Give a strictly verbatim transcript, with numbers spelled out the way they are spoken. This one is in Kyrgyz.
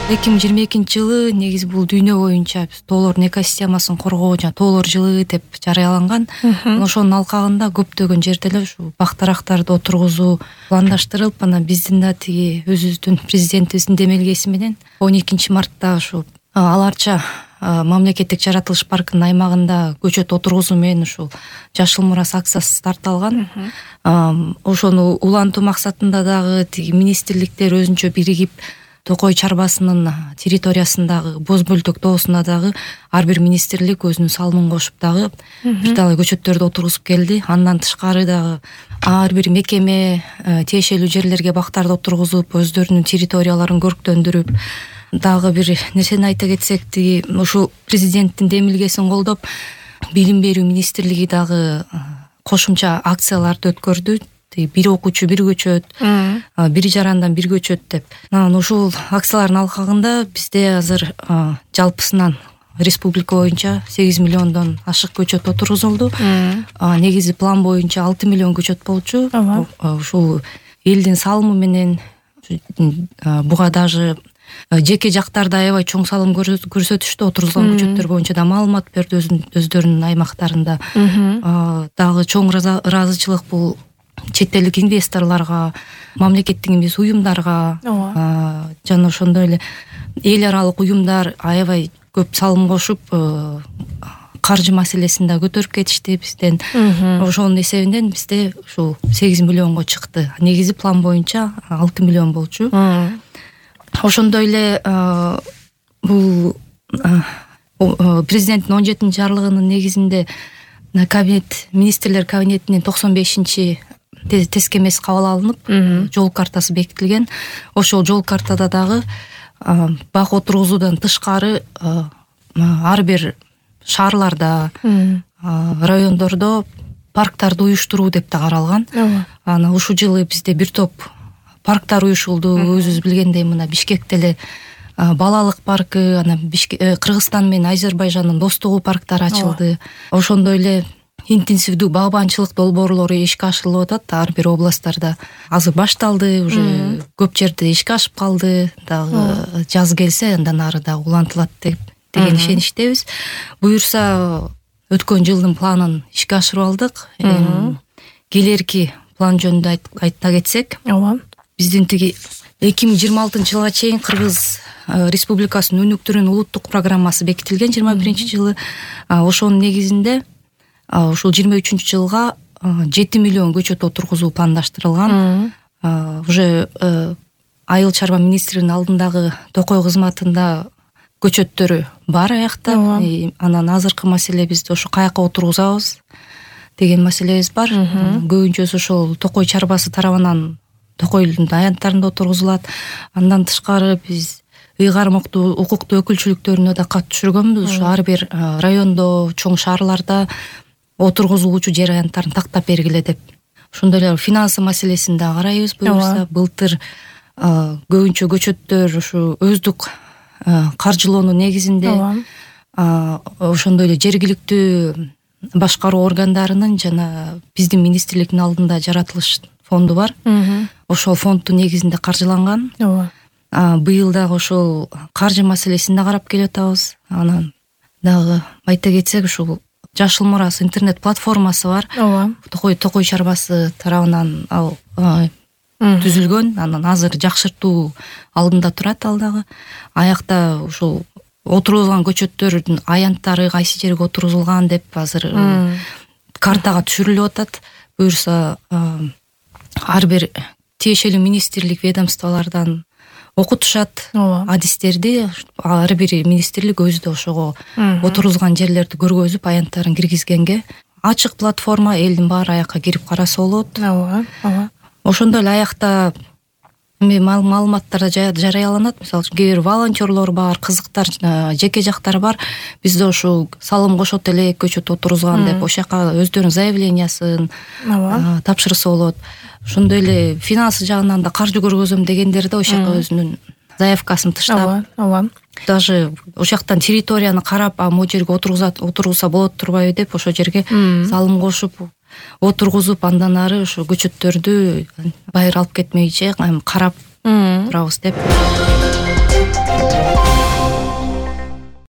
эки миң жыйырма экинчи жылы негизи бул дүйнө боюнча тоолордун экосистемасын коргоо жана тоолор жылы деп жарыяланган. Ошонун алкагында көптөгөн жерде эле ушу бак-дарактарды отургузуу пландаштырылып, анан биздин да тиги өзүбүздүн президентибиздин демелгеси менен он экинчи мартта ушу аларча мамлекеттик жаратылыш паркынын аймагында көчөт отургузуу менен ушул Жашыл мурас акциясы стартталган. Ошону улантуу максатында дагы тиги министрликтер өзүнчө биригип Токой чарбасынын территориясындагы Боз Бөлтөк тоосуна дагы ар бир министрлик өзүнүн салымын кошуп дагы бир талай көчөттөрдү отургузуп келди. Андан тышкары дагы ар бир мекеме тиешелүү жерлерге бактарды отургузуп, өздөрүнүн территорияларын көрктөндүрүп, дагы бир нерсени айта кетсек, тиги ушул президенттин демилгесин колдоп билим берүү министрлиги дагы кошумча акцияларды өткөрдү. Бир окуучу бир көчөт, бир жарандан бир көчөт деп. Анан ушул акциялардын алкагында бизде азыр жалпысынан республика боюнча сегиз миллиондон ашык көчөт отургузулду. Негизи план боюнча алты миллион көчөт болчу. Ушул элдин салымы менен буга даже жеке жактарда аябай чоң салым көрсөтүштү. Отургузулган көчөттөр боюнча да маалымат берди өздөрүнүн аймактарында. Дагы чоң ыраазычылык бул чет элдик инвесторлорго, мамлекеттик эмес уюмдарга жана ошондой эле эл аралык уюмдар аябай көп салым кошуп, каржы маселесин да көтөрүп кетишти бизден. Ошонун эсебинен бизде ушул сегиз миллионго чыкты. Негизи план боюнча алты миллион болчу. Ошондой эле бул президенттин он жетинчи жарлыгынын негизинде кабинет министрлер кабинетинин токсон бешинчи тескемеси кабыл алынып, жол картасы бекитилген. Ошол жол картада дагы бак отургузуудан тышкары ар бир шаарларда, райондордо парктарды уюштуруу деп да каралган. Анан ушул жылы бизде бир топ парктар уюшулду. Өзүбүз билгендей мына Бишкекте эле балалык паркы, анан Кыргызстан менен Азербайжандын достугу парктары ачылды. Ошондой эле интенсивдүү багбанчылык долбоорлору ишке ашырылып атат ар бир областтарда. Азыр башталды, уже көп жерде ишке ашып калды. Дагы жаз келсе андан ары да улантылат деп деген ишеничтебиз. Буюрса өткөн жылдын планын ишке ашырып алдык. Келерки план жөнүндө айта кетсек, биздин тиги эки миң жыйырма алтынчы жылга чейин Кыргыз Республикасынын өнүктүрүүнүн улуттук программасы бекитилген жыйырма биринчи жылы. Ошонун негизинде ушул жыйырма үчүнчү жылга жети миллион көчөт отургузуу пландаштырылган. Уже Айыл чарба министринин алдындагы токой кызматында көчөттөрү бар аякта. Анан азыркы маселе бизде ошо каяка отургузабыз деген маселебиз бар. Көбүнчөсү ошол токой чарбасы тарабынан Токойдун аянттарында отургузулат. Андан тышкары биз ыйгармоктуу укуктуу өкүлчүлүктөрүнө да кат түшүргөнбүз. Ушу ар бир райондо, чоң шаарларда отургузулуучу жер аянттарын тактап бергиле деп. Ошондой эле финансы маселесин да карайбыз. Буюрса былтыр көбүнчө көчөттөр ушу өздүк каржылоонун негизинде ошондой эле жергиликтүү башкаруу органдарынын жана биздин министрликтин алдында жаратылыш фонду бар. Ошол фонддун негизинде каржыланган. Быйыл дагы ошол каржы маселесин да карап келип атабыз. Анан дагы айта кетсек, ушул Жашыл мурас интернет платформасы бар. Токой Токой чарбасы тарабынан ал түзүлгөн. Анан азыр жакшыртуу алдында турат ал дагы. Аякта ушул отургузулган көчөттөрдүн аянттары кайсы жерге отургузулган деп азыр картага түшүрүлүп атат. Буюрса ар бир тиешелүү министрлик, ведомстволордон окутушат адистерди. Ар бир министрлик өзү да ошого отургузган жерлерди көргөзүп, аянттарын киргизгенге. Ачык платформа, элдин баары аякка кирип караса болот. Ошондой эле аякта маалыматтар жарыяланат. Мисалы үчүн кээ бир волонтерлор бар, кызыктар, жеке жактар бар. Бизде ошол салым кошот эле көчөт отургузган деп ошол жака өздөрүнүн заявлениясын тапшырса болот. Ошондой эле финансы жагынан да каржы көргөзөм дегендер да ошол жака өзүнүн заявкасын тыштап, даже ошол жактан территорияны карап, а могу жерге отургузса болот турбайбы деп ошол жерге салым кошуп отургузуп, андан ары ошо көчөттөрдү байыр алып кетмейинче карап турабыз деп. болот.